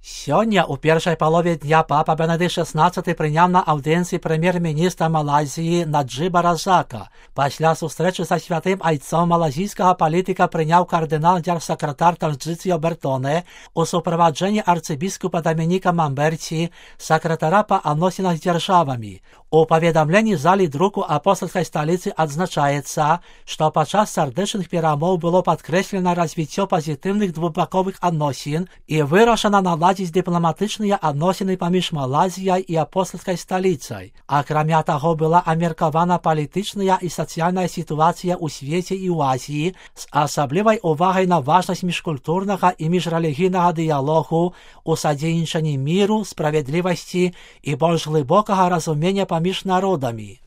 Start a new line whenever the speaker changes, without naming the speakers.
Сёння у першай палове дня папа Бенедыкт XVI прыняў на аўдыенцыі прэм'ер-міністра Малайзіі Наджыба Разака. Пасля сустрэчы са святым айцом малазійскага палітыка прыняў кардынал-дзяржсакратар Танджыцыё Бертоне у суправаджэнні арцыбіскупа Дамініка Мамберці, сакратара па адносінах з дзяржавамі. У паведамленні залі друку апостальскай сталіцы адзначаецца, што падчас сардэчных перамоў было падкрэслена развіццё пазітыўных двухбаковых адносін і вырашана наладзіць дыпламатычныя адносіны паміж Малайзіяй і апостальскай сталіцай. Акрамя таго, была абмеркавана палітычная і сацыяльная сітуацыя ў свеце і ў Азіі з асаблівай увагай на важнасць міжкультурнага і міжрэлігійнага дыялогу у садзейнічанні міру, справядлівасці і больш глыбокага разумення паміж народамі.